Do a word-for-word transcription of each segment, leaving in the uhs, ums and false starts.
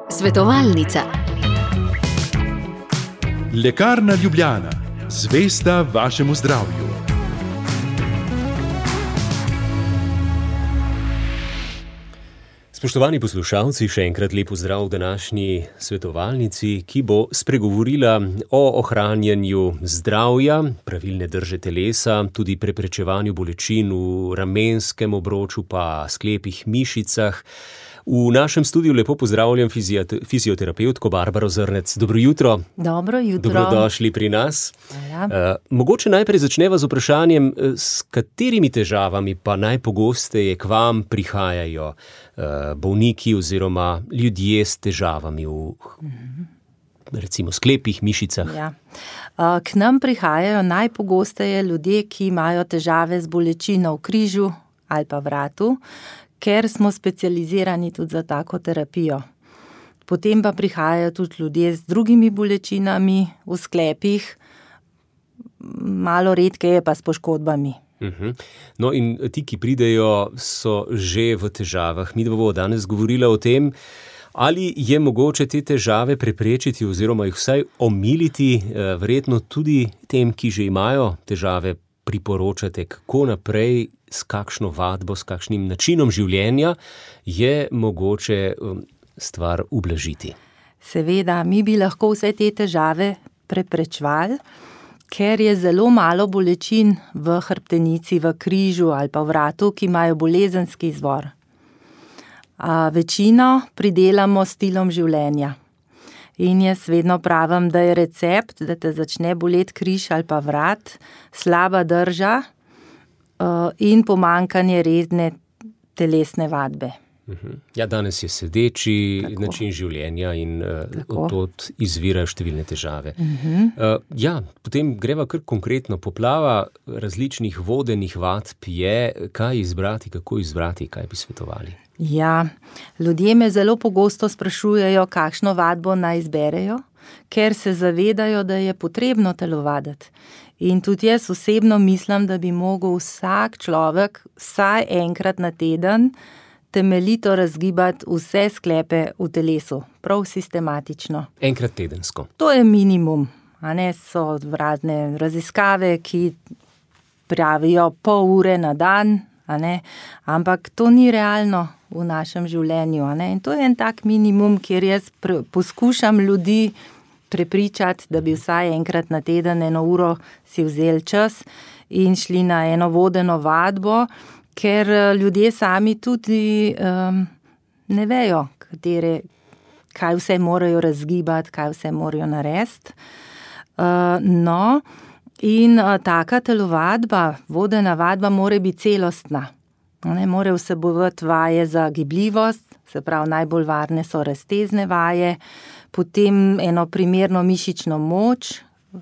Svetovalnica. Lekarna Ljubljana, zvesta vašemu zdravju. Spoštovani poslušalci, še enkrat lep pozdrav v današnji svetovalnici, ki bo spregovorila o ohranjanju zdravja, pravilne drže telesa, tudi preprečevanju bolečin v ramenskem obroču pa sklepih, mišicah. V našem studiu lepo pozdravljam fizioterapevtko Barbaro Zrnec. Dobro jutro. Dobro jutro. Dobrodošli pri nas. Ja. Uh, mogoče najprej začneva z vprašanjem, s katerimi težavami pa najpogosteje k vam prihajajo uh, bolniki oziroma ljudje s težavami v recimo sklepih, mišicah. Ja. Uh, k nam prihajajo najpogosteje ljudje, ki imajo težave z bolečino v križu ali pa vratu, ker smo specializirani tudi za tako terapijo. Potem pa prihajajo tudi ljudje z drugimi bolečinami v sklepih, malo redkeje pa s poškodbami. Uh-huh. No in ti, ki pridejo, so že v težavah. Mi bomo danes govorila o tem, ali je mogoče te težave preprečiti oziroma jih vsaj omiliti, verjetno tudi tem, ki že imajo težave, priporočate, kako naprej, s kakšno vadbo, s kakšnim načinom življenja je mogoče stvar ublažiti. Seveda, mi bi lahko vse te težave preprečevali, ker je zelo malo bolečin v hrbtenici, v križu ali pa v vratu, ki imajo bolezenski izvor. A večino pridelamo s stilom življenja. In jaz vedno pravim, da je recept, da te začne boleti križ ali pa vrat, slaba drža uh, in pomanjkanje redne telesne vadbe. Uh-huh. Ja, danes je sedeči Tako. način življenja in uh, Tako. odtod izvirajo številne težave. Uh-huh. Uh, ja, potem greva kar konkretno. Poplava različnih vodenih vadb je, kaj izbrati, kako izbrati, kaj bi svetovali. Ja, ljudje me zelo pogosto sprašujejo, kakšno vadbo naj izberejo, ker se zavedajo, da je potrebno telovaditi. In tudi jaz osebno mislim, da bi mogel vsak človek vsaj enkrat na teden temeljito razgibati vse sklepe v telesu, prav sistematično. Enkrat tedensko. To je minimum, a ne, so razne raziskave, ki pravijo pol ure na dan, a ne, ampak to ni realno v našem življenju, a ne, in to je en tak minimum, kjer jaz pre, poskušam ljudi prepričati, da bi vsaj enkrat na teden eno uro si vzeli čas in šli na eno vodeno vadbo, ker ljudje sami tudi um, ne vejo, katere, kaj vse morajo razgibati, kaj vse morajo narediti. Uh, no, in uh, taka telovadba, vodena vadba mora biti celostna. Ne, mora vsebovati vaje za gibljivost, se pravi najbolj varne so raztezne vaje, potem eno primerno mišično moč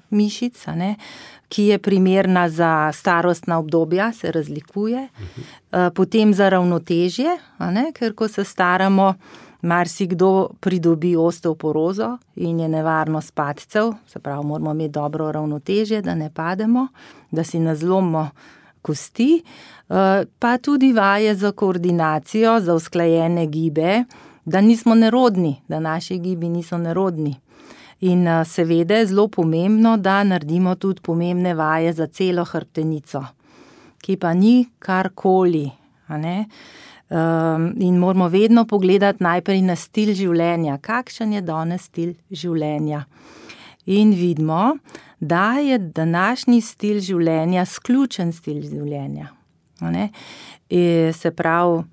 mišic, a ne, ki je primerna za starostna obdobja, se razlikuje. Uh-huh. Potem za ravnotežje, a ne, ker ko se staramo, marsikdo pridobi osteoporozo in je nevarnost padcev, se pravi, moramo imeti dobro ravnotežje, da ne pademo, da si ne zlomimo kosti, pa tudi vaje za koordinacijo, za usklajene gibe, da nismo nerodni, da naši gibi niso nerodni. In seveda je zelo pomembno, da naredimo tudi pomembne vaje za celo hrbtenico, ki pa ni karkoli, a ne. Um, in moramo vedno pogledati najprej na stil življenja, kakšen je danes stil življenja. In vidimo, da je današnji stil življenja sključen stil življenja. A ne? E, se pravi,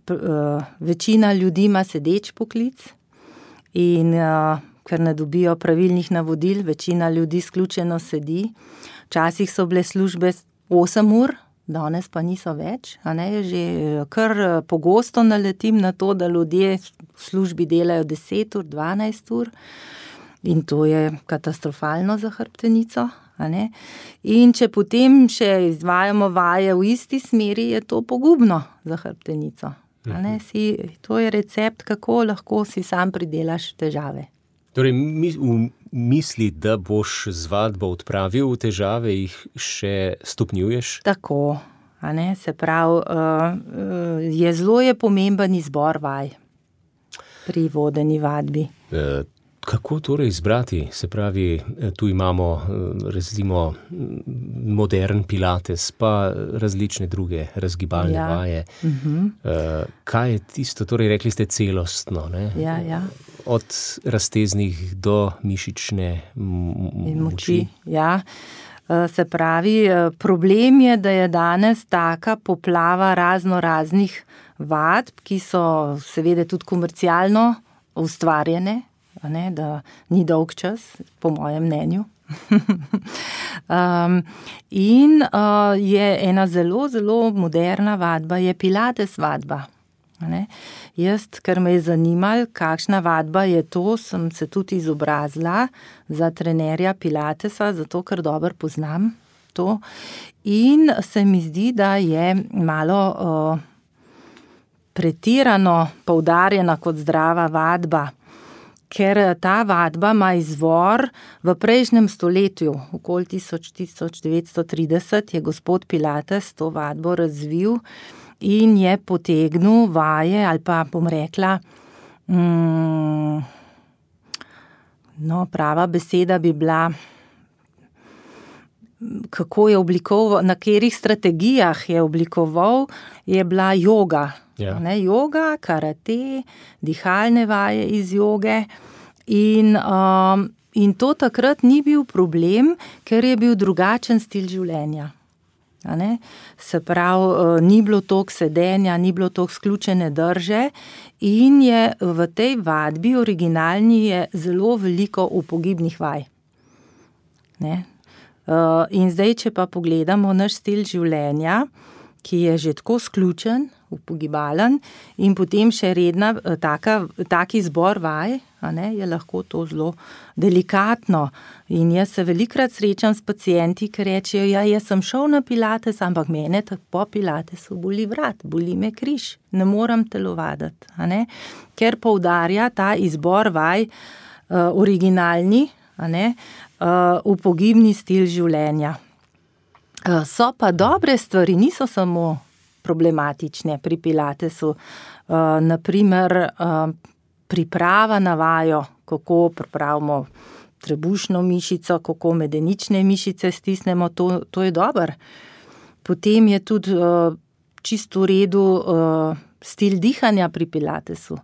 p, uh, večina ljudi ima sedeč poklic in uh, ker ne dobijo pravilnih navodil, večina ljudi sključeno sedi. Včasih so bile službe osem ur, danes pa niso več, a ne, že kar pogosto naletim na to, da ljudje v službi delajo deset ur, dvanajst ur in to je katastrofalno za hrbtenico, a ne. In če potem še izvajamo vaje v isti smeri, je to pogubno za hrbtenico, a ne. Si, to je recept, kako lahko si sam pridelaš težave. Torej, v misli, da boš z vadbo odpravil težave, jih še stopnjuješ? Tako, a ne, se pravi, je zelo je pomemben izbor vaj. pri vodeni vadbi. E, kako torej izbrati? Se pravi, tu imamo recimo modern pilates, pa različne druge razgibalne Ja. vaje. Mhm. E, kaj je tisto, torej rekli ste celostno, ne? Ja, ja. Od razteznih do mišične m- In moči. moči. Ja. Eh, Se pravi, eh, problem je, da je danes taka poplava razno raznih vadb, ki so seveda tudi komercialno ustvarjene, a ne, da ni dolg čas, po mojem mnenju. um, in uh, je ena zelo, zelo moderna vadba, je pilates vadba. a Ne? Jaz, ker me je zanimalo, kakšna vadba je to, sem se tudi izobrazila za trenerja pilatesa, zato ker dobro poznam to. In se mi zdi, da je malo uh, pretirano poudarjena kot zdrava vadba, ker ta vadba ima izvor v prejšnjem stoletju, okoli tisoč, tisoč devetsto trideset je gospod Pilates to vadbo razvil in je potegnil vaje, ali pa bom rekla, mm, no, prava beseda bi bila, kako je oblikoval, na katerih strategijah je oblikoval, je bila joga. Ja. Ne, joga, karate, dihalne vaje iz joge in, um, in to takrat ni bil problem, ker je bil drugačen stil življenja. A ne? Se pravi, ni bilo toliko sedenja, ni bilo toliko sključene drže in je v tej vadbi originalni je zelo veliko upogibnih vaj. Ne? In zdaj, če pa pogledamo naš stil življenja, ki je že tako sključen, upogibalen in potem še redna taka, taki zbor vaj, a ne, je lahko to zelo delikatno. In jaz se velikokrat srečam s pacienti, ki rečejo, ja, jaz sem šel na pilates, ampak mene po pilatesu boli vrat, boli me križ, ne moram telovaditi, a ne, ker poudarja ta izbor vaj uh, originalni, a ne, uh, upogibni stil življenja. Uh, so pa dobre stvari, niso samo problematične pri pilatesu. Uh, naprimer, uh, priprava na vajo, kako pripravimo trebušno mišico, kako medenične mišice stisnemo, to, to je dobro. Potem je tudi uh, čisto v redu uh, stil dihanja pri pilatesu,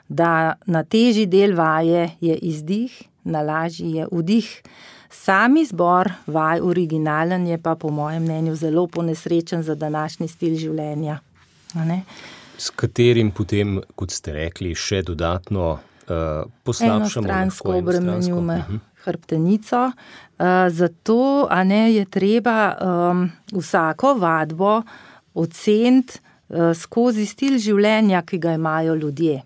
da na težji del vaje je izdih, na lažji je vdih. Sami zbor vaj originalen je pa po mojem mnenju zelo ponesrečen za današnji stil življenja. A ne? S katerim potem, kot ste rekli, še dodatno uh, poslabšamo enostransko obremenjujemo hrbtenico. Uh, zato, a ne, je treba um, vsako vadbo oceniti uh, skozi stil življenja, ki ga imajo ljudje.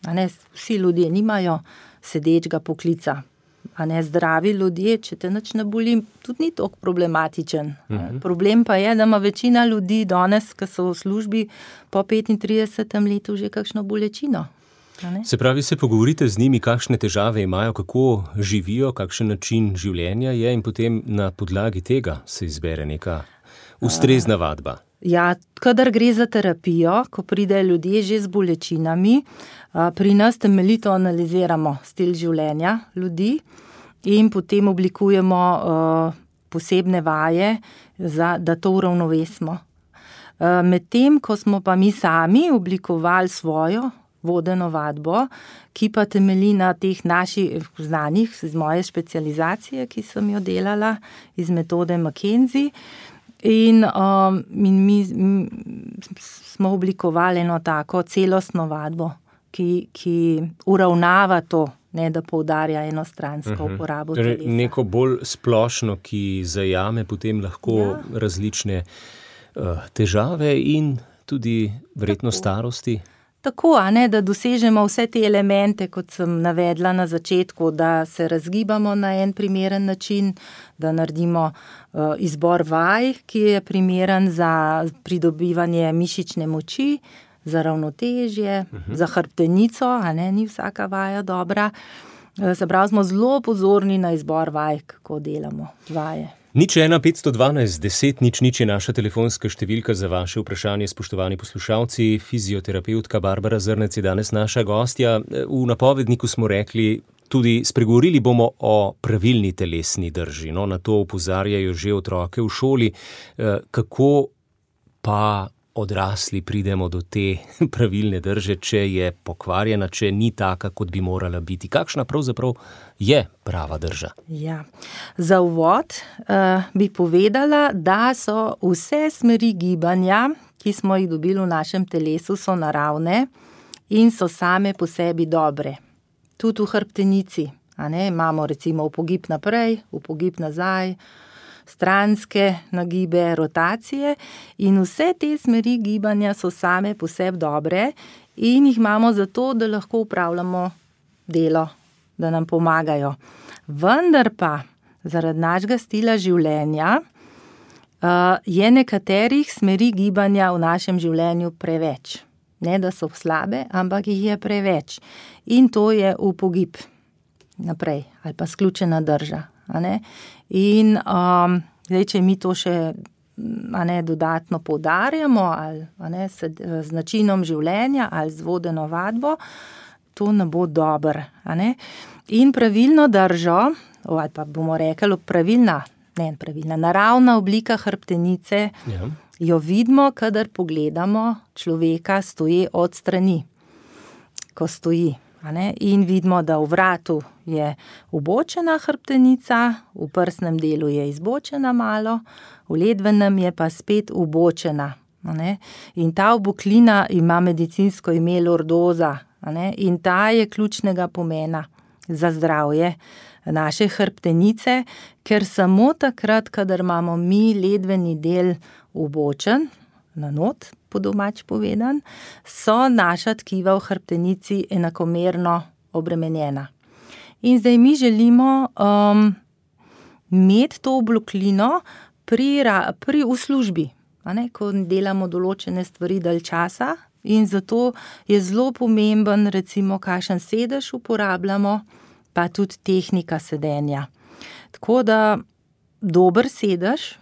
A ne, vsi ljudje nimajo sedečega poklica. A ne, zdravi ljudje, če te nič ne boli, tudi ni toliko problematičen. Uh-huh. Problem pa je, da ima večina ljudi danes, ki so v službi, po petintridesetem letu že kakšno bolečino. Se pravi, se pogovorite z njimi, kakšne težave imajo, kako živijo, kakšen način življenja je in potem na podlagi tega se izbere neka ustrezna vadba. Ja, kadar gre za terapijo, ko pridejo ljudje že z bolečinami, pri nas temeljito analiziramo stil življenja ljudi in potem oblikujemo posebne vaje, za, da to uravnovesimo. Medtem, ko smo pa mi sami oblikovali svojo vodeno vadbo, ki pa temelji na teh naših znanjih, z moje specializacije, ki sem jo delala iz metode McKenzie, In, um, in mi m, smo oblikovali eno tako celostno vadbo, ki, ki uravnava to, ne da poudarja enostransko uh-huh. uporabo telesa. Neko bolj splošno, ki zajame potem lahko ja. različne uh, težave in tudi verjetno tako. Starosti. Tako, a ne, da dosežemo vse te elemente, kot sem navedla na začetku, da se razgibamo na en primeren način, da naredimo uh, izbor vaj, ki je primeren za pridobivanje mišične moči, za ravnotežje, uh-huh. za hrbtenico, a ne, ni vsaka vaja dobra. Uh, se pravi, smo zelo pozorni na izbor vaj, kako delamo vaje. Nič ena petsto dvanajst deset nič nič je naša telefonska številka za vaše vprašanje, spoštovani poslušalci. Fizioterapeutka Barbara Zrnec je danes naša gostja. V napovedniku smo rekli, tudi spregovorili bomo o pravilni telesni drži. No, na to opozarjajo že otroke v šoli. Kako pa odrasli pridemo do te pravilne drže, če je pokvarjena, če ni taka, kot bi morala biti? Kakšna pravzaprav je prava drža? Ja. Za uvod uh, bi povedala, da so vse smeri gibanja, ki smo jih dobili v našem telesu, so naravne in so same po sebi dobre. Tudi v hrbtenici. A ne? Imamo recimo upogib naprej, upogib nazaj, stranske nagibe, rotacije in vse te smeri gibanja so same po sebi dobre in jih imamo zato, da lahko upravljamo delo, da nam pomagajo. Vendar pa zaradi našega stila življenja uh, je nekaterih smeri gibanja v našem življenju preveč. Ne, da so slabe, ampak jih je preveč. In to je upogib naprej ali pa sključena drža. A ne? In um, zdaj, če mi to še a ne, dodatno poudarjamo ali a ne, s, z načinom življenja ali z vodeno vadbo, to ne bo dobro. A ne? In pravilno držo, ali pa bomo rekli pravilna, ne pravilna, naravna oblika hrbtenice, ja, jo vidimo, kadar pogledamo človeka stoje od strani, ko stoji. In vidimo, da v vratu je ubočena hrbtenica, v prsnem delu je izbočena malo, v ledvenem je pa spet ubočena. In ta oboklina ima medicinsko ime lordoza in ta je ključnega pomena za zdravje naše hrbtenice, ker samo takrat, kadar imamo mi ledveni del ubočen, na not, po domač povedan, so naša tkiva v hrbtenici enakomerno obremenjena. In zdaj mi želimo um, imeti to oboklino pri, pri v službi, a ne, ko delamo določene stvari dalj časa in zato je zelo pomemben, recimo, kakšen sedež uporabljamo, pa tudi tehnika sedenja. Tako da dober sedež,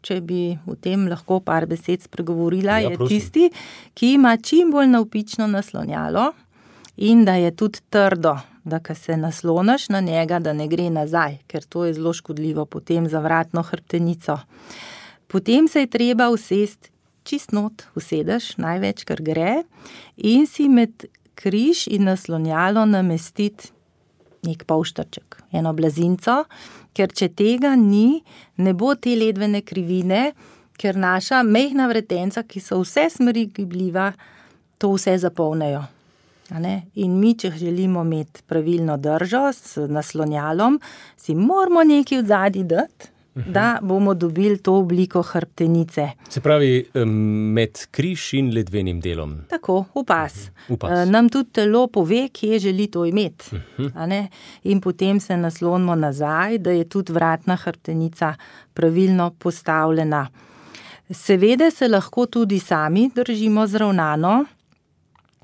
če bi v tem lahko par besed spregovorila, ja, je prosim. Tisti, ki ima čim bolj navpično naslonjalo in da je tudi trdo, da ko se nasloniš na njega, da ne gre nazaj, ker to je zelo škodljivo potem za vratno hrbtenico. Potem se je treba usesti čist not, usedeš največ, kar gre, in si med križ in naslonjalo namestiti nek polštrček, eno blazinco, ker če tega ni, ne bo te ledvene krivine, ker naša mehna vretenca, ki so vse smeri gibljiva, to vse zapolnejo. A ne? In mi, če želimo imeti pravilno držo s naslonjalom, si moramo nekaj v zadnji dati, uh-huh. da bomo dobili to obliko hrbtenice. Se pravi, med križ in ledvenim delom. Tako, v pas. Uh-huh. V pas. Nam tudi telo pove, kje želi to imeti. Uh-huh. A ne? In potem se naslonimo nazaj, da je tudi vratna hrbtenica pravilno postavljena. Seveda se lahko tudi sami držimo zravnano,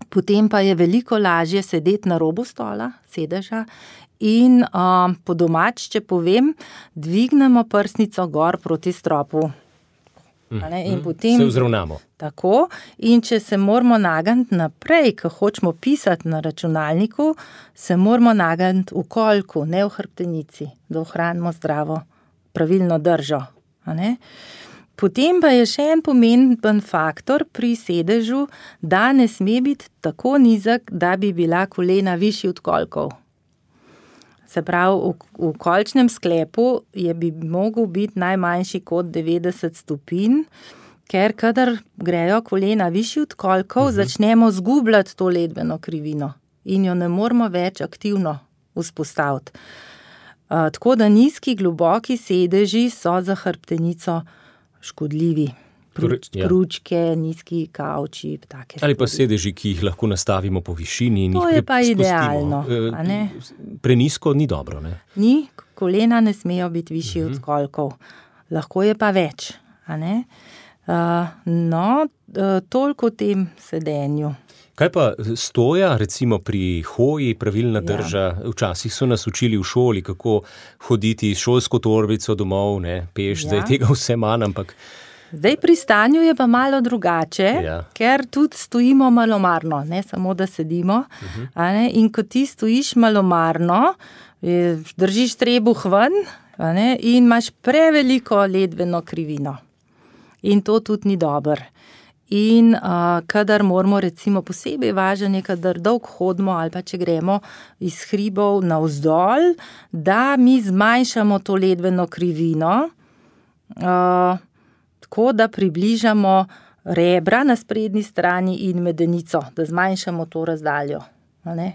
potem pa je veliko lažje sedeti na robu stola, sedeža, in um, po domač, če povem, dvignemo prsnico gor proti stropu. Mm, in potem, se vzravnamo. Tako, in če se moramo nagniti naprej, ko hočemo pisati na računalniku, se moramo nagniti v kolku, ne v hrbtenici, da ohranimo zdravo, pravilno držo. A ne? Potem pa je še en pomemben faktor pri sedežu, da ne sme biti tako nizek, da bi bila kolena višji od kolkov. Se pravi, v, v kolčnem sklepu je bi mogel biti najmanjši kot devetdeset stopinj, ker kadar grejo kolena višji od kolkov, uh-huh. začnemo zgubljati to ledveno krivino in jo ne moramo več aktivno vzpostaviti. Uh, tako da nizki, globoki sedeži so za hrbtenico škodljivi. Pruč, ja. Pručke, nizki kavči, take stvari. Ali pa sedeži, ki jih lahko nastavimo po višini in to jih je pa idealno. E, ne? Prenizko ni dobro, ne? Ni, kolena ne smejo biti višji uh-huh. od kolkov. Lahko je pa več, a ne? Uh, no, uh, toliko o tem sedenju. Kaj pa stoja, recimo pri hoji, pravilna drža? Ja. Včasih so nas učili v šoli, kako hoditi s šolsko torbico domov, ne, peš, ja. Zdaj tega vse manj, ampak... Zdaj pri stanju je pa malo drugače, ja. Ker tudi stojimo malomarno, ne samo da sedimo. Uh-huh. A ne? In ko ti stojiš malomarno, držiš trebuh ven, a ne? In imaš preveliko ledveno krivino. In to tudi ni dobro. In uh, kadar moramo recimo posebej važen je, kadar dolg hodimo ali pa če gremo iz hribov navzdol, da mi zmanjšamo to ledveno krivino, uh, tako da približamo rebra na sprednji strani in medenico, da zmanjšamo to razdaljo. Ne?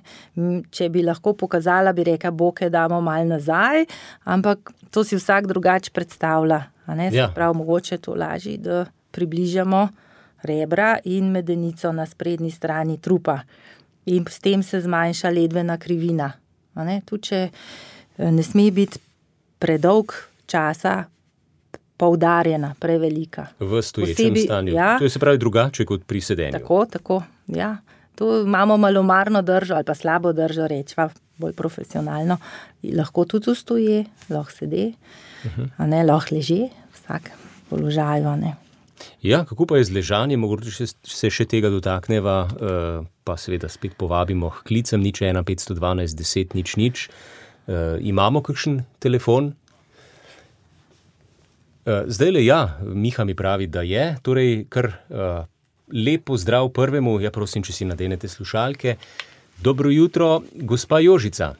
Če bi lahko pokazala, bi rekla, boke damo malo nazaj, ampak to si vsak drugače predstavlja. Ne? Ja. Se pravi, mogoče to lažje, da približamo rebra in medenico na sprednji strani trupa. In s tem se zmanjša ledvena krivina. Ne? Tudi če ne sme biti predolg časa poudarjena, prevelika. V stoječem Posebi, stanju. Ja, to je se pravi drugače kot pri sedenju. Tako, tako, ja. Tu imamo malomarno držo ali pa slabo držo, rečva bolj profesionalno. Lahko tudi stoje, lahko sede, uh-huh. a ne, lahko leže, vsak položaju, a ne. Ja, kako pa je z ležanjem, mogoče se še tega dotakneva, pa seveda spet povabimo k klicem nič ena petsto dvanajst deset nič nič. Imamo kakšen telefon? Zdaj le ja, Miha mi pravi, da je, torej kar uh, lepo zdrav prvemu, ja prosim, če si nadenete slušalke. Dobro jutro, gospa Jožica.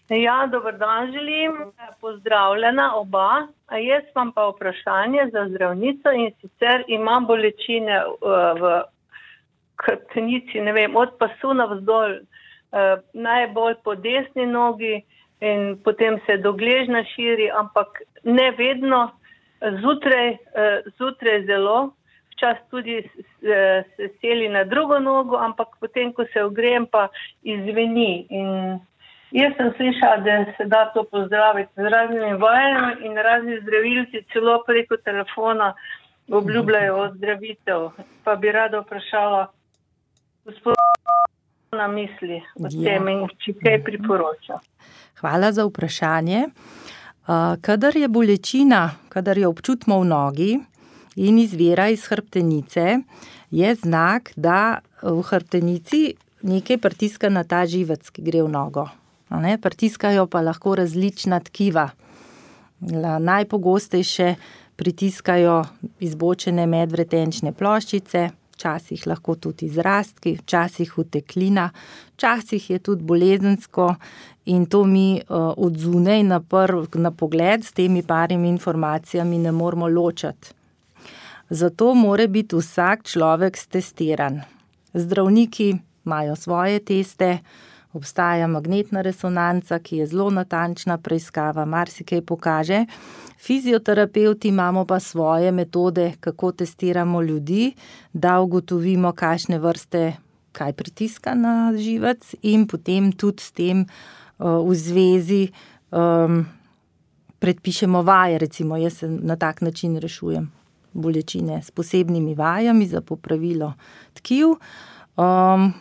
Ja, dober dan želim, pozdravljena oba. A jaz imam pa vprašanje za zdravnico in sicer imam bolečine uh, v hrbtenici, ne vem, od pasu navzdol, uh, najbolj po desni nogi in potem se do gležnja širi, ampak ne vedno. Zjutraj, zjutraj zelo, včasih tudi se seli na drugo nogo, ampak potem, ko se ogrejem, pa izveni. In jaz sem slišala, da se da to pozdraviti z raznimi vajami in razni zdravilci celo preko telefona obljubljajo ozdravitev. Pa bi rada vprašala gospoda na misli o tem in če kaj priporoča. Hvala za vprašanje. Kadar je bolečina, kadar jo občutimo v nogi in izvira iz hrbtenice, je znak, da v hrbtenici nekaj pritiska na ta živec, ki gre v nogo. Ne? Pritiskajo pa lahko različna tkiva. Najpogostejše pritiskajo izbočene medvretenčne ploščice, včasih lahko tudi izrastki, včasih uteklina, včasih je tudi bolezensko in to mi uh, od zunaj na, prv, na pogled s temi parimi informacijami ne moramo ločati. Zato mora biti vsak človek stestiran. Zdravniki imajo svoje teste, obstaja magnetna resonanca, ki je zelo natančna preiskava, marsikaj pokaže. Fizioterapevti imamo pa svoje metode, kako testiramo ljudi, da ugotovimo, kakšne vrste, kaj pritiska na živec in potem tudi s tem uh, v zvezi um, predpišemo vaje. Recimo, jaz se na tak način rešujem bolečine s posebnimi vajami za popravilo tkiv. Um,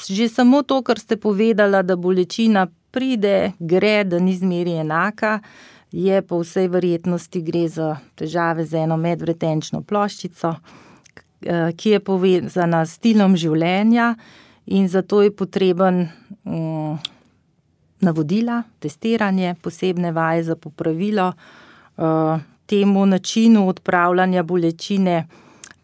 že samo to, kar ste povedala, da bolečina pride, gre, da ni zmeri enaka, je po vsej verjetnosti gre za težave z eno medvretenčno ploščico, ki je povezana s stilom življenja in zato je potreben um, navodila, testiranje, posebne vaje za popravilo. Uh, temu načinu odpravljanja bolečine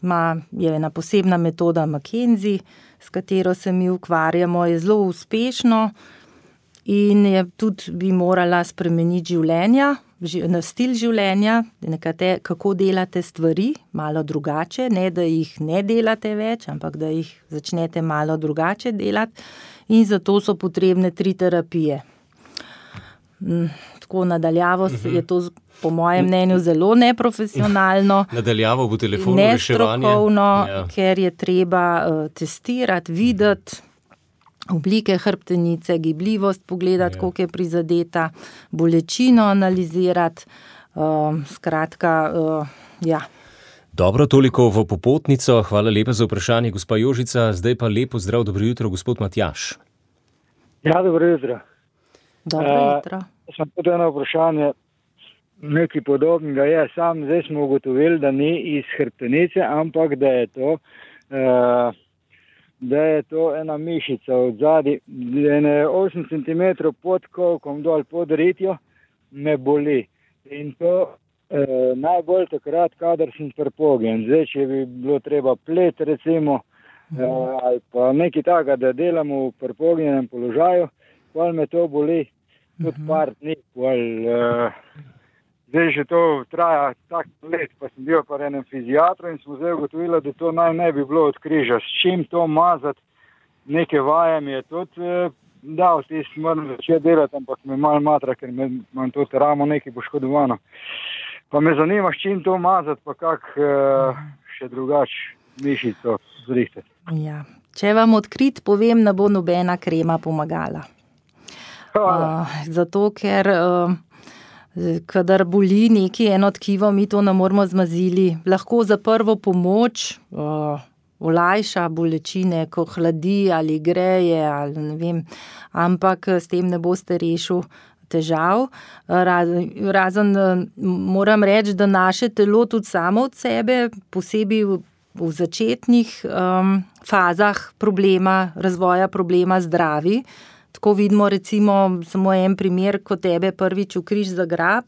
ima, je ena posebna metoda McKenzie, s katero se mi ukvarjamo, je zelo uspešno in je tudi bi morala spremeniti življenja, stil življenja, nekate, kako delate stvari, malo drugače, ne da jih ne delate več, ampak da jih začnete malo drugače delati in zato so potrebne tri terapije. Tako nadaljavo uh-huh. je to po mojem mnenju zelo neprofesionalno, nadaljavo bo telefonu reševanje, nestrokovno, ja. Ker je treba uh, testirati, videti oblike hrbtenice, gibljivost pogledati, ja. Koliko je prizadeta, bolečino analizirati, uh, skratka, uh, ja. Dobro, toliko v popotnico. Hvala lepa za vprašanje, gospa Jožica. Zdaj pa lepo zdrav, dobro jutro, gospod Matjaž. Ja, dobro jutro. Dobro jutro. Uh, sem tudi eno vprašanje, nekaj podobnega je. Sam zdaj smo ugotovili, da ni iz hrbtenice, ampak da je to, uh, da je to ena mišica od zadaj, ene osem centimetrov pod kolkom dol pod ritjo, me boli. In to uh, najbolj takrat, kadar sem prepogjen. Zdaj, če bi bilo treba plet, recimo, uh, ali pa nekaj takega, da delamo v prepognenem položaju, pol me to boli tudi par dni, pol, uh, zdaj že to traja tak let, pa sem bil pa enem fiziatru in smo zdaj ugotovili, da to naj ne bi bilo od križa. S čim to mazati, neke vaje mi je tudi uh, dal, tis moram začeti delati, ampak me malo matra, ker me, imam tudi ramo nekaj poškodovano. Pa me zanima, s čim to mazati, pa kak uh, še drugač mišico zrihtati. Ja. Če vam odkrit povem, ne bo nobena krema pomagala. Uh, zato, ker uh, kadar boli neki eno tkivo, mi to ne moramo zmazili. Lahko za prvo pomoč uh, olajša bolečine, ko hladi ali greje, ali ne vem, ampak s tem ne boste rešil težav. Razen, razen moram reči, da naše telo tudi samo od sebe, posebej v, v začetnih um, fazah problema, razvoja problema zdravi. Tako vidimo recimo samo en primer, ko tebe prvič v križ zagrab,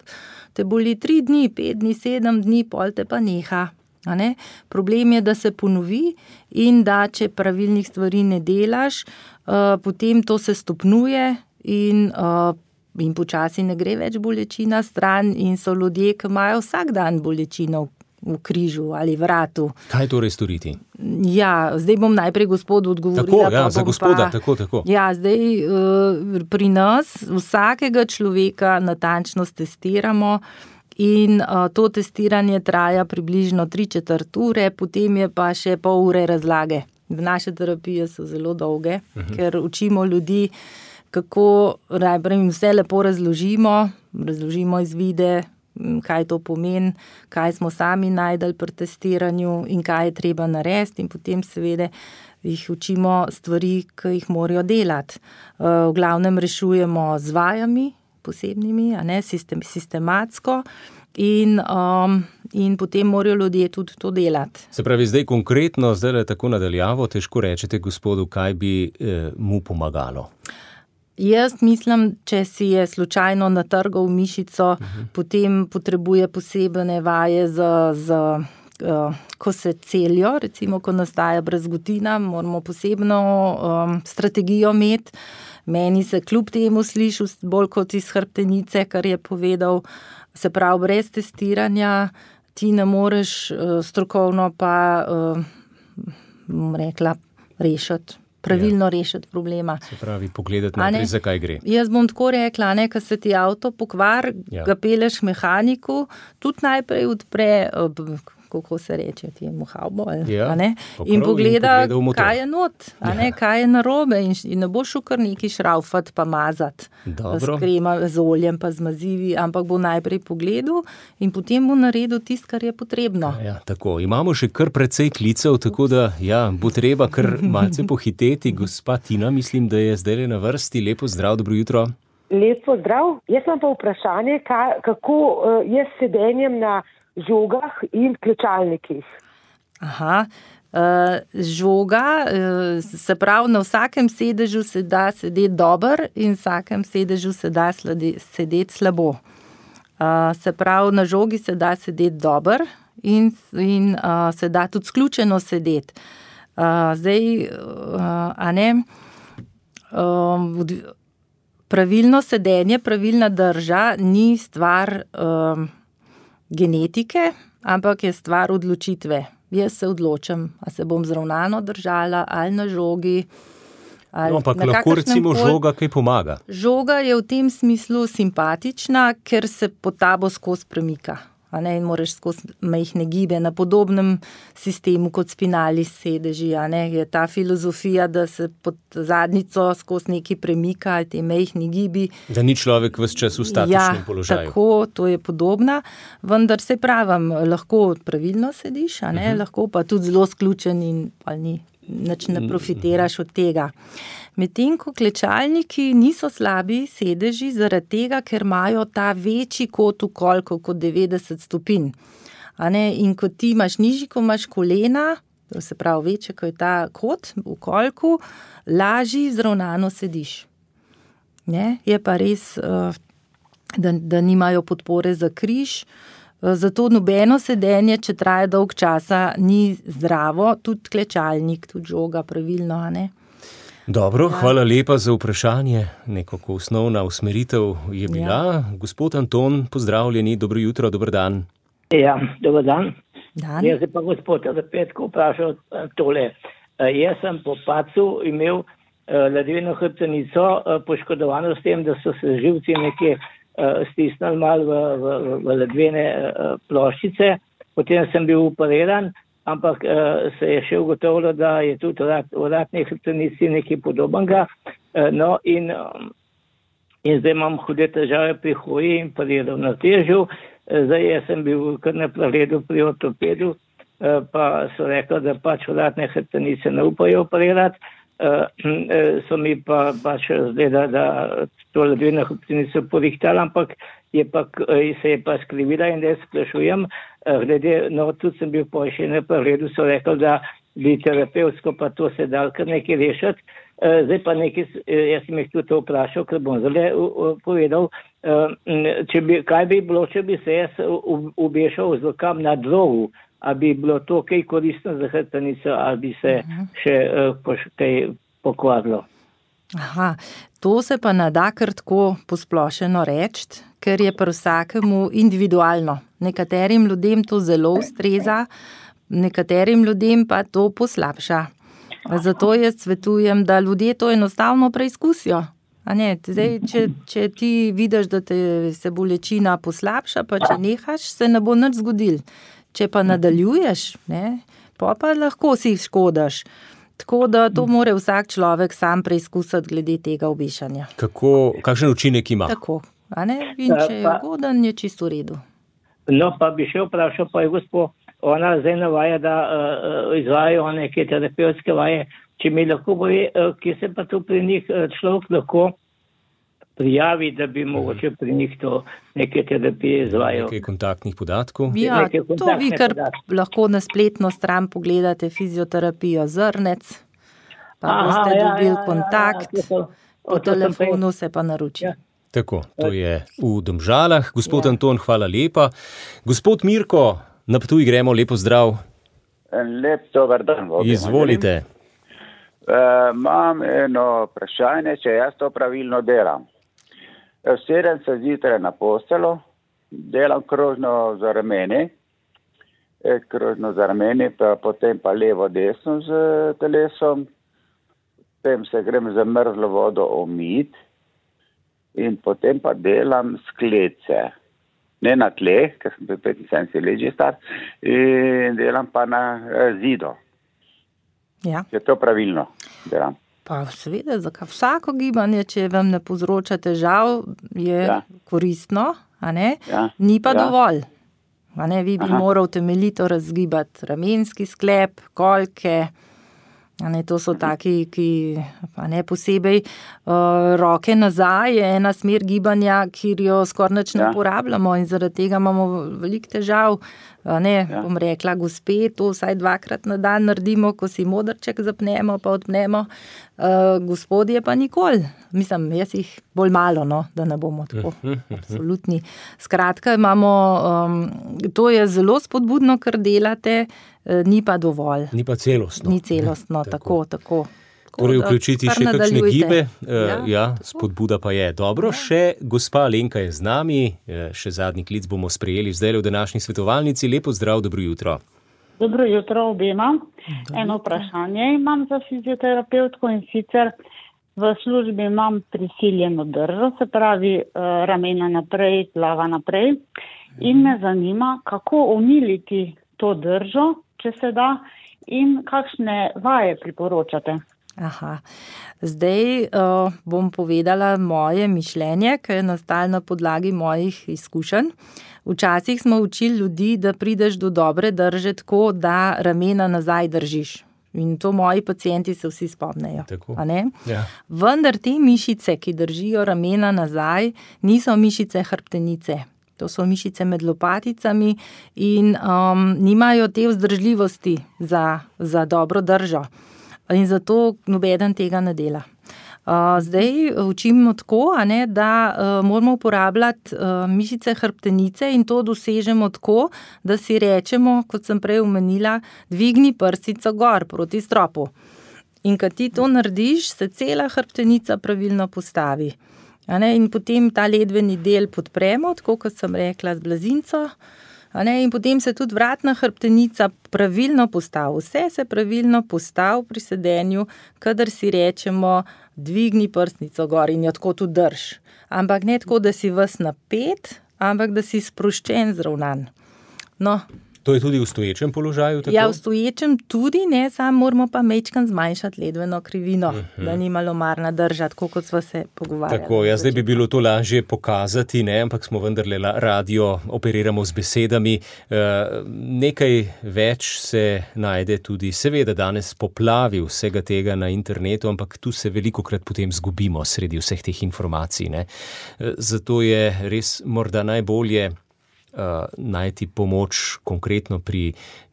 te boli tri dni, pet dni, sedem dni, pol te pa neha. A ne? Problem je, da se ponovi in da če pravilnih stvari ne delaš, uh, potem to se stopnjuje in, uh, in počasi ne gre več bolečina stran in so ljudje, ki imajo vsak dan bolečino v križu ali vratu. Kaj torej storiti? Ja, zdaj bom najprej gospodu odgovorila. Tako, ja, za gospoda, pa, tako, tako. Ja, zdaj uh, pri nas vsakega človeka natančno testiramo in uh, to testiranje traja približno tri četrt ure, potem je pa še pol ure razlage. Naše terapije so zelo dolge, uh-huh. ker učimo ljudi, kako najprej vse lepo razložimo, razložimo izvide, kaj to pomeni, kaj smo sami najdali pri testiranju in kaj je treba narediti in potem seveda jih učimo stvari, ki jih morajo delati. V glavnem rešujemo z vajami posebnimi, a ne, sistem, sistematsko in, um, in potem morajo ljudje tudi to delati. Se pravi, zdaj konkretno, zdaj le tako nadaljavo, težko rečete gospodu, kaj bi eh, mu pomagalo. Jaz mislim, če si je slučajno natrgal mišico, uh-huh. potem potrebuje posebne vaje za, za uh, ko se celijo, recimo, ko nastaja brazgotina, moramo posebno um, strategijo imeti. Meni se kljub temu sliši bolj kot iz hrbtenice, kar je povedal, se pravi, brez testiranja ti ne moreš uh, strokovno pa, uh, bom rekla, rešiti. pravilno ja. rešiti problema. Se pravi, pogledati naprej, zakaj gre. Jaz bom tako rekla, ne, ko se ti avto pokvar, ja. ga peleš mehaniku, tudi najprej odpre, kako se reče, ti je muhavbo, ja. in pogleda, in pogleda kaj je not, a ne, ja. kaj je narobe in, in ne bo šel kar neki šraufat pa mazati s krema, z oljem pa z mazivi, ampak bo najprej pogledal in potem bo naredil tisto, kar je potrebno. Ja, tako, imamo še kar precej klicev, tako da ja, bo treba kar malce pohiteti. Gospa Tina, mislim, da je zdaj na vrsti. Lepo zdrav, dobro jutro. Lepo zdrav. Jaz imam pa vprašanje, kako je s sedenjem na žogah in klečalnikih. Aha, uh, žoga, uh, se pravi, na vsakem sedežu se da sedeti dober in vsakem sedežu se da sledi, sedeti slabo. Uh, se pravi, na žogi se da sedeti dober in, in uh, se da tudi sključeno sedeti. Uh, zdaj, uh, a ne, um, pravilno sedenje, pravilna drža ni stvar um, genetike, ampak je stvar odločitve. Jaz se odločam, a se bom zravnano držala ali na žogi. Ali no, ampak lahko recimo pol... žoga kaj pomaga. Žoga je v tem smislu simpatična, ker se pod tabo skozi premika. a ne, in moraš skozi majhne gibe na podobnem sistemu kot spinali sedeži, a ne, je ta filozofija, da se pod zadnjico skozi nekaj premika, te majhni gibi. Da ni človek ves čas v statičnem ja, položaju. Tako, to je podobna, vendar se pravim, lahko pravilno sediš, a ne, uh-huh. lahko pa tudi zelo sključen in pa ni, nič ne profitiraš od tega. Medtem ko klečalniki niso slabi sedeži zaradi tega, ker imajo ta večji kot v kolku, kot devetdeset stopinj. A ne? In ko ti imaš nižji, ko imaš kolena, to se pravi večje, ko je ta kot v kolku, lažji zravnano sediš. Ne? Je pa res, da, da nimajo podpore za križ, zato nobeno sedenje, če traja dolg časa, ni zdravo, tudi klečalnik, tudi žoga pravilno, a ne? Dobro, ja. Hvala lepa za vprašanje. Nekako osnovna usmeritev je bila. Ja. Gospod Anton, pozdravljeni, dobro jutro, dober dan. Ja, dober dan. dan. Jaz se pa gospod Petko vprašal tole. Jaz sem po padcu imel ledveno hrbtenico poškodovano s tem, da so se živci nekje stisnili malo v, v, v ledvene ploščice. Potem sem bil operiran, ampak uh, se je še ugotovilo, da je tudi v vratni hrbtenici nekaj podobnega. Uh, no in, um, in zdaj imam hude težave pri hoji in pri ravnotežju. Uh, zdaj jaz sem bil kar na pregledu pri ortopedu, uh, pa so rekli, da pač vratne hrbtenice ne upajo operirati. Uh, uh, so mi pa pač zdaj, da to ledveno hrbtenico porihtali, ampak je pa, se je pa skrivila in da sprašujem, glede, no, tudi sem bil po še na pregledu, so rekli, da bi terapevtsko pa to se dal kar nekaj rešiti. Zdaj pa nekaj, jaz sem jih tudi to vprašal, ker bom zdaj povedal, če bi, kaj bi bilo, če bi se jaz ubešal z kam na drogu, a bi bilo to kaj koristno za hrbtenico, ali bi se še kaj pokvarilo. Aha, to se pa ne da kar tako posplošeno reči, ker je pri vsakemu individualno. Nekaterim ljudem to zelo ustreza, nekaterim ljudem pa to poslabša. Zato jaz svetujem, da ljudje to enostavno preizkusijo. A ne, zdaj, če, če ti vidiš, da te se bolečina poslabša, pa če nehaš, se ne bo nič zgodil. Če pa nadaljuješ, ne, pa pa lahko si škodaš. Tako da to mora vsak človek sam preizkusiti glede tega obešanja. Kako, kakšen učinek ima? Tako, a ne? In če je ugoden, je čisto v redu. No, pa bi še vprašal, pa je gospod, ona zdaj navaja, da uh, izvajajo neke terapevtske vaje. Če mi lahko boje, uh, kje se pa to pri njih uh, človek lahko prijavi, da bi mogoče pri njih to neke terapije izvajal. Nekaj kontaktnih podatkov. Ja, to vi kar podatke. Lahko na spletno stran pogledate fizioterapijo Zrnec, pa Aha, boste ja, dobili ja, kontakt, ja, ja, ja, po telefonu se pa naroči. Ja. Tako, to je v Domžalah. Gospod ja. Anton, hvala lepa. Gospod Mirko, na Ptuj gremo, lepo zdrav. Lep dober dan. Izvolite. Uh, imam eno vprašanje, če jaz to pravilno delam. Sedem se zjutraj na postelo, delam krožno za rameni, krožno za rameni, pa potem pa levo desno z telesom, potem se grem za mrzlo vodo omit in potem pa delam sklece. Ne na tle, ker sem bil petinsedemdeset let že star, in delam pa na zidu. Ja. Je to pravilno delam. Pa seveda, zakaj vsako gibanje, če vam ne povzroča težav, je ja. koristno, a ne? Ja. Ni pa ja. dovolj. A ne, vi bi Aha. moral temeljito razgibati ramenski sklep, kolke, a ne, to so taki, ki pa ne posebej, uh, roke nazaj je ena smer gibanja, kjer jo skoraj nič ne ja. uporabljamo in zaradi tega imamo veliko težav. Ne, ja. bom rekla, gospe, to vsaj dvakrat na dan naredimo, ko si modrček zapnemo, pa odpnemo. Uh, gospodje pa nikoli. Mislim, jaz jih bolj malo, no, da ne bomo tako absolutni. Skratka, imamo, um, to je zelo spodbudno, kar delate, uh, ni pa dovolj. Ni pa celostno. Ni celostno, ne, tako, tako. tako. Torej, vključiti še kakšne gibe, ja, ja, spodbuda pa je. Dobro, še gospa Alenka je z nami, še zadnji klic bomo sprejeli zdaj v današnji svetovalnici. Lepo zdrav, dobro jutro. Dobro jutro obema. Eno vprašanje imam za fizioterapevtko in sicer v službi imam prisiljeno držo, se pravi ramena naprej, glava naprej in me zanima, kako omiliti to držo, če se da, in kakšne vaje priporočate. Aha. Zdaj uh, bom povedala moje mišljenje, ki je nastalo na podlagi mojih izkušenj. Včasih smo učili ljudi, da prideš do dobre drže tako, da ramena nazaj držiš. In to moji pacienti se vsi spomnejo. A ne? Ja. Vendar te mišice, ki držijo ramena nazaj, niso mišice hrbtenice. To so mišice med lopaticami in um, nimajo te vzdržljivosti za, za dobro držo. In zato nobeden tega ne dela. Uh, zdaj učimo tako, a ne, da uh, moramo uporabljati uh, mišice hrbtenice in to dosežemo tako, da si rečemo, kot sem prej omenila, dvigni prstico gor proti stropu. In kad ti to narediš, se cela hrbtenica pravilno postavi. A ne, in potem ta ledveni del podpremo, tako kot sem rekla, z blazinco. A ne, in potem se tudi vratna hrbtenica pravilno postavi. Vse se pravilno postavi pri sedenju, kadar si rečemo, dvigni prstnico gor in jo tako tudi drž. Ampak ne tako, da si ves napet, ampak da si sproščen, zravnan. No. To je tudi v stoječem položaju? Tako? Ja, v stoječem tudi, ne, samo moramo pa mečkan zmanjšati ledveno krivino, uh-huh. da ni malomarna drža, tako kot smo se pogovarjali. Tako, ja, zdaj bi bilo to lažje pokazati, ne, ampak smo vendarle radio, operiramo z besedami. E, nekaj več se najde tudi, seveda danes poplavi vsega tega na internetu, ampak tu se velikokrat potem zgubimo sredi vseh teh informacij. Ne. E, zato je res morda najbolje Uh, najti pomoč konkretno pri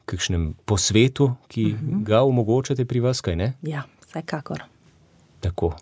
kakšnem posvetu, ki uh-huh. ga omogočate pri vas, kaj ne? Ja, vsekakor. Tako.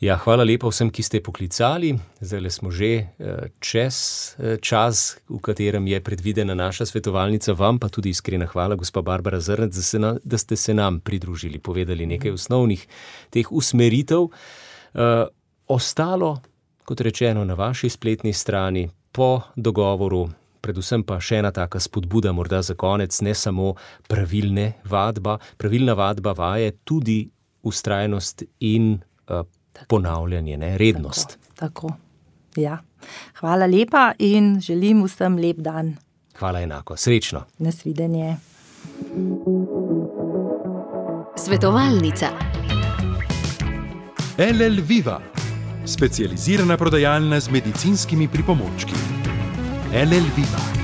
Ja, hvala lepa vsem, ki ste poklicali. Zdaj smo že uh, čez uh, čas, v katerem je predvidena naša svetovalnica. Vam pa tudi iskrena hvala, gospa Barbara Zrnec, da, se na, da ste se nam pridružili, povedali nekaj uh-huh. osnovnih teh usmeritev. Uh, ostalo, kot rečeno, na vaši spletni strani, po dogovoru, predvsem pa še ena taka spodbuda morda za konec, ne samo pravilne vadba, pravilna vadba vaje, tudi ustrajnost in uh, ponavljanje, ne, rednost. Tako, tako, ja. Hvala lepa in želim vsem lep dan. Hvala enako, srečno. Nasvidenje. Svetovalnica. L L Viva, specializirana prodajalna z medicinskimi pripomočki. L L Viva.